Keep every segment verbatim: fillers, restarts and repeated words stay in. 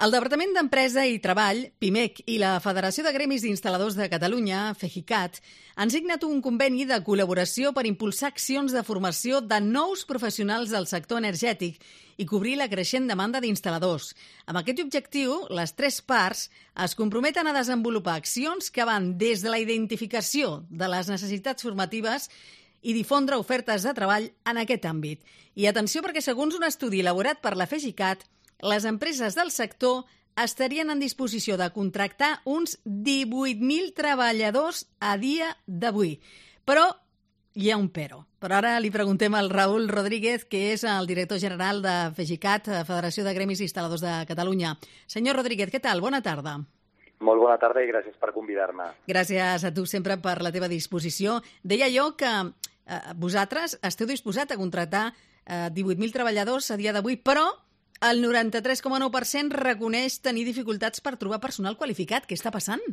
El Departament d'Empresa i Treball, PIMEC, i la Federació de Gremis d'Instal·ladors de Catalunya, FEGICAT, han signat un conveni de col·laboració per impulsar accions de formació de nous professionals del sector energètic i cobrir la creixent demanda d'instal·ladors. Amb aquest objectiu, les tres parts es comprometen a desenvolupar accions que van des de la identificació de les necessitats formatives i difondre ofertes de treball en aquest àmbit. I atenció, perquè segons un estudi elaborat per la FEGICAT, les empreses del sector estarien en disposició de contractar uns divuit mil treballadors a dia d'avui. Però hi ha un però. Però ara li preguntem al Raül Rodríguez, que és el director general de FEGICAT, Federació de Gremis i Instal·ladors de Catalunya. Senyor Rodríguez, què tal? Bona tarda. Molt bona tarda i gràcies per convidar-me. Gràcies a tu sempre per la teva disposició. Deia jo que eh, vosaltres esteu disposats a contractar eh, divuit mil treballadors a dia d'avui, però el noranta-tres coma nou per cent reconeix tenir dificultats per trobar personal qualificat. Què està passant?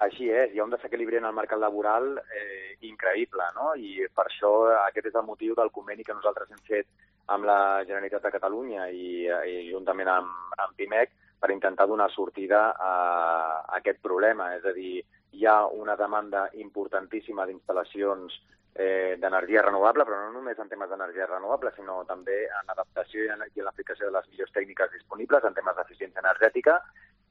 Així és, hi ha un desequilibri en el mercat laboral eh, increïble, no? I per això aquest és el motiu del conveni que nosaltres hem fet amb la Generalitat de Catalunya i, i juntament amb, amb PIMEC per intentar donar sortida a, a aquest problema. És a dir, hi ha una demanda importantíssima d'instal·lacions eh, d'energia renovable, però no només en temes d'energia renovable, sinó també en adaptació i en, i en l'aplicació de les millors tècniques disponibles en temes d'eficiència energètica,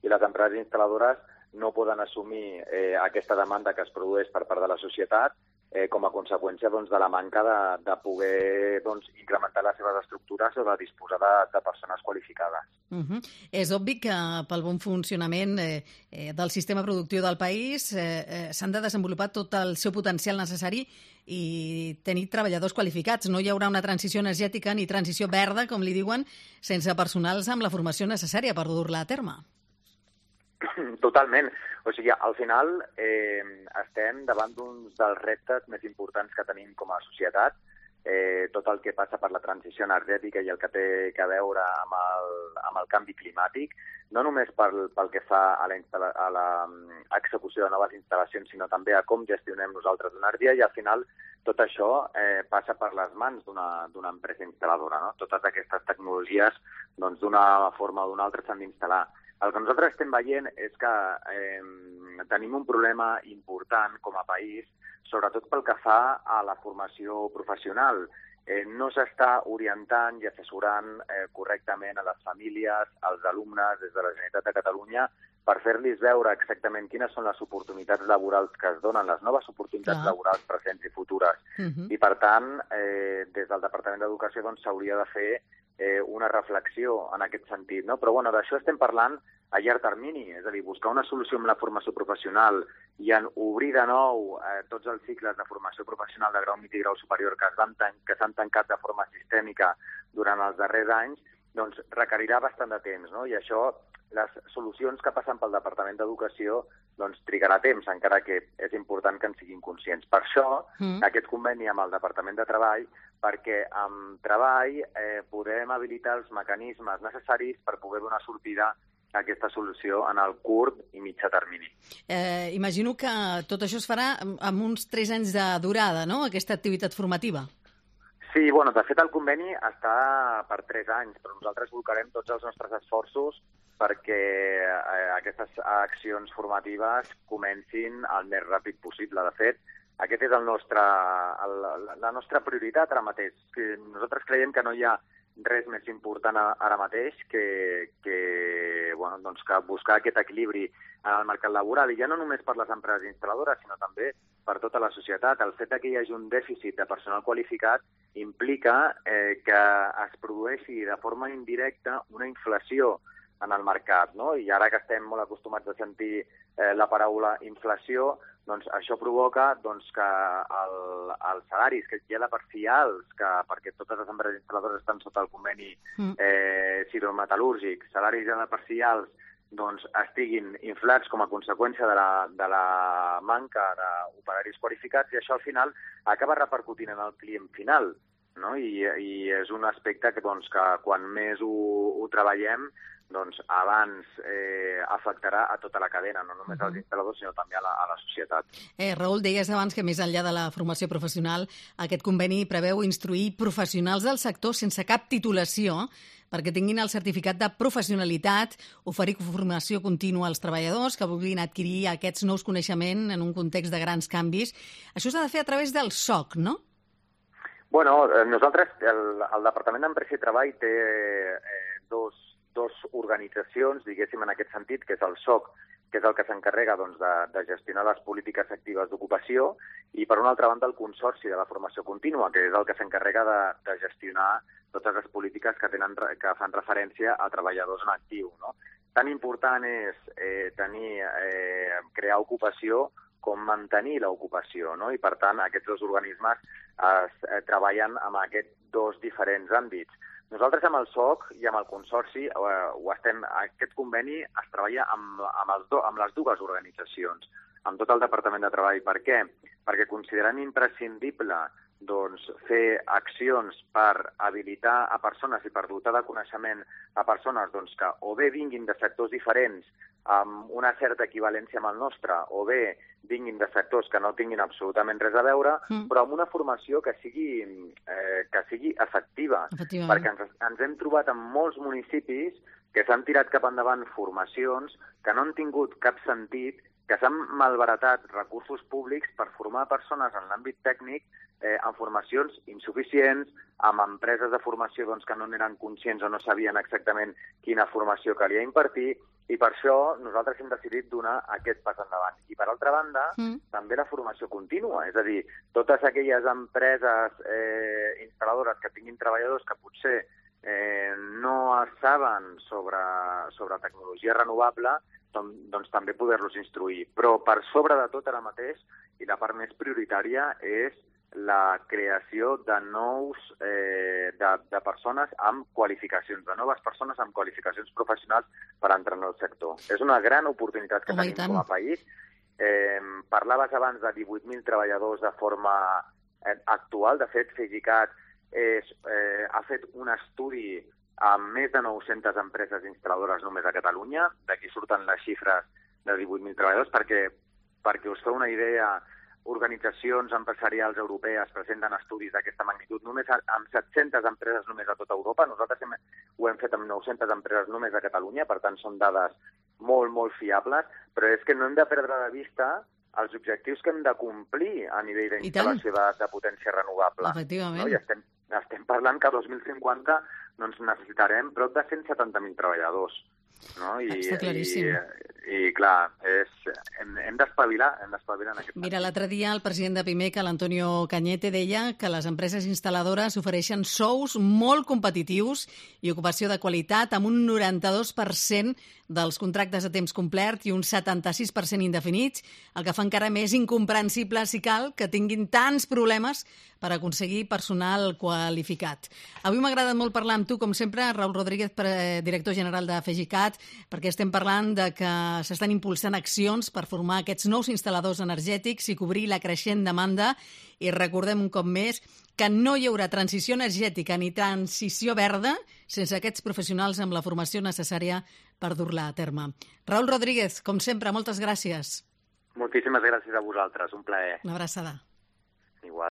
i les empreses instal·ladores no poden assumir eh, aquesta demanda que es produeix per part de la societat eh, com a conseqüència doncs, de la manca de, de poder doncs, incrementar les seves estructures o de disposar de, de persones qualificades. Uh-huh. És obvi que pel bon funcionament eh, eh, del sistema productiu del país eh, eh, s'han de desenvolupar tot el seu potencial necessari i tenir treballadors qualificats. No hi haurà una transició energètica ni transició verda, com li diuen, sense personals amb la formació necessària per dur-la a terme. Totalment. O sigui, al final eh, estem davant d'un dels reptes més importants que tenim com a societat. Eh, tot el que passa per la transició energètica i el que té a veure amb el, amb el canvi climàtic, no només pel, pel que fa a la, a la execució de noves instal·lacions, sinó també a com gestionem nosaltres l'energia, i al final tot això eh, passa per les mans d'una empresa instal·ladora. No? Totes aquestes tecnologies, doncs, d'una forma o d'una altra s'han d'instal·lar. El que nosaltres estem veient és que eh, tenim un problema important com a país, sobretot pel que fa a la formació professional. Eh, no s'està orientant i assessorant eh, correctament a les famílies, als alumnes des de la Generalitat de Catalunya, per fer-los veure exactament quines són les oportunitats laborals que es donen, les noves oportunitats Clar. laborals presents i futures. Uh-huh. I, per tant, eh, des del Departament d'Educació doncs, s'hauria de fer eh, una reflexió en aquest sentit. No? Però bueno, d'això estem parlant a llarg termini, és a dir, buscar una solució amb la formació professional i en obrir de nou eh, tots els cicles de formació professional de grau mitjà i grau superior que s'han tan que s'han tancat de forma sistèmica durant els darrers anys, doncs requerirà bastant de temps, no? I això, les solucions que passen pel Departament d'Educació, doncs trigarà temps, encara que és important que en siguin conscients. Per això, mm. aquest conveni amb el Departament de Treball, perquè amb treball eh, podem habilitar els mecanismes necessaris per poder donar sortida a aquesta solució en el curt i mitjà termini. Eh, imagino que tot això es farà amb uns tres anys de durada, no?, aquesta activitat formativa. Sí, bueno, de fet el conveni està per tres anys, però nosaltres volcarem tots els nostres esforços perquè eh, aquestes accions formatives comencin el més ràpid possible. De fet, aquest és el nostre, el, la nostra prioritat ara mateix. Nosaltres creiem que no hi ha res més important ara mateix que, que, bueno, doncs que buscar aquest equilibri en el mercat laboral, i ja no només per les empreses instal·ladores, sinó també per tota la societat. El fet que hi hagi un dèficit de personal qualificat implica eh, que es produeixi de forma indirecta una inflació en el mercat, no? I ara que estem molt acostumats a sentir eh, la paraula inflació, doncs això provoca doncs, que el, els salaris, que ja de per si alts, que, perquè totes les empreses instal·ladores estan sota el conveni eh, siderometal·lúrgic, salaris ja de per si alts, doncs estiguin inflats com a conseqüència de la, de la manca d'operaris qualificats, i això al final acaba repercutint en el client final. No? I, i és un aspecte que, doncs, que quan més ho, ho treballem, doncs abans eh, afectarà a tota la cadena, no només als instal·ladors, sinó també a la, a la societat. Eh, Raül, deies abans que més enllà de la formació professional, aquest conveni preveu instruir professionals del sector sense cap titulació perquè tinguin el certificat de professionalitat, oferir formació contínua als treballadors que vulguin adquirir aquests nous coneixements en un context de grans canvis. Això s'ha de fer a través del S O C, no? Bueno, nosaltres, el, el Departament d'Empresa i Treball té eh, dos, dos organitzacions, diguéssim, en aquest sentit, que és el S O C, que és el que s'encarrega doncs, de, de gestionar les polítiques actives d'ocupació, i per una altra banda el Consorci de la Formació Contínua, que és el que s'encarrega de, de gestionar totes les polítiques que, tenen, que fan referència a treballadors en actiu. No? Tan important és eh, tenir, eh, crear ocupació com mantenir l'ocupació, no? I per tant aquests dos organismes es, eh, treballen amb aquests dos diferents àmbits. Nosaltres amb el S O C i amb el Consorci, eh, ho estem, aquest conveni es treballa amb, amb, els do, amb les dues organitzacions, amb tot el Departament de Treball. Per què? Perquè considerem imprescindible doncs, fer accions per habilitar a persones i per dotar de coneixement a persones doncs, que o bé vinguin de sectors diferents amb una certa equivalència amb el nostre, o bé vinguin de sectors que no tinguin absolutament res a veure, mm. però amb una formació que sigui, eh, que sigui efectiva. Perquè ens, ens hem trobat en molts municipis que s'han tirat cap endavant formacions que no han tingut cap sentit, que s'han malbaratat recursos públics per formar persones en l'àmbit tècnic eh, en formacions insuficients, amb empreses de formació doncs, que no eren conscients o no sabien exactament quina formació calia impartir, i per això nosaltres hem decidit donar aquest pas endavant. I per altra banda, mm. també la formació contínua, és a dir, totes aquelles empreses eh, instal·ladores que tinguin treballadors que potser eh, no saben sobre, sobre tecnologia renovable, doncs, doncs també poder-los instruir. Però per sobre de tot ara mateix, i la part més prioritària, és la creació de nous eh, de, de persones amb qualificacions, de noves persones amb qualificacions professionals per entrar en el sector. És una gran oportunitat que Home, tenim com a país. Eh, parlaves abans de divuit mil treballadors de forma eh, actual. De fet, FEGICAT és, eh, ha fet un estudi amb més de nou-centes empreses instal·ladores només a Catalunya. D'aquí surten les xifres de divuit mil treballadors, perquè, perquè us feu una idea, organitzacions empresarials europees presenten estudis d'aquesta magnitud només amb set-centes empreses només a tota Europa. Nosaltres hem, ho hem fet amb nou-centes empreses només a Catalunya, per tant són dades molt, molt fiables, però és que no hem de perdre de vista els objectius que hem de complir a nivell d'instal·lació de, de potència renovable. Efectivament. No? I estem, estem parlant que a dos mil cinquanta doncs, necessitarem prop de cent setanta mil treballadors. No? I, Està claríssim. I, i clar, és, hem, hem d'espavilar, hem d'espavilar en aquest moment. Mira, l'altre dia el president de Pimec, l'Antonio Cañete, deia que les empreses instal·ladores ofereixen sous molt competitius i ocupació de qualitat amb un noranta-dos per cent dels contractes a temps complet i un setanta-sis per cent indefinits, el que fa encara més incomprensible, si cal, que tinguin tants problemes per aconseguir personal qualificat. Avui m'ha agradat molt parlar amb tu, com sempre, Raül Rodríguez, director general de FEGICAT, perquè estem parlant de que s'estan impulsant accions per formar aquests nous instal·ladors energètics i cobrir la creixent demanda. I recordem un cop més que no hi haurà transició energètica ni transició verda sense aquests professionals amb la formació necessària per dur-la a terme. Raül Rodríguez, com sempre, moltes gràcies. Moltíssimes gràcies a vosaltres, un plaer. Una abraçada.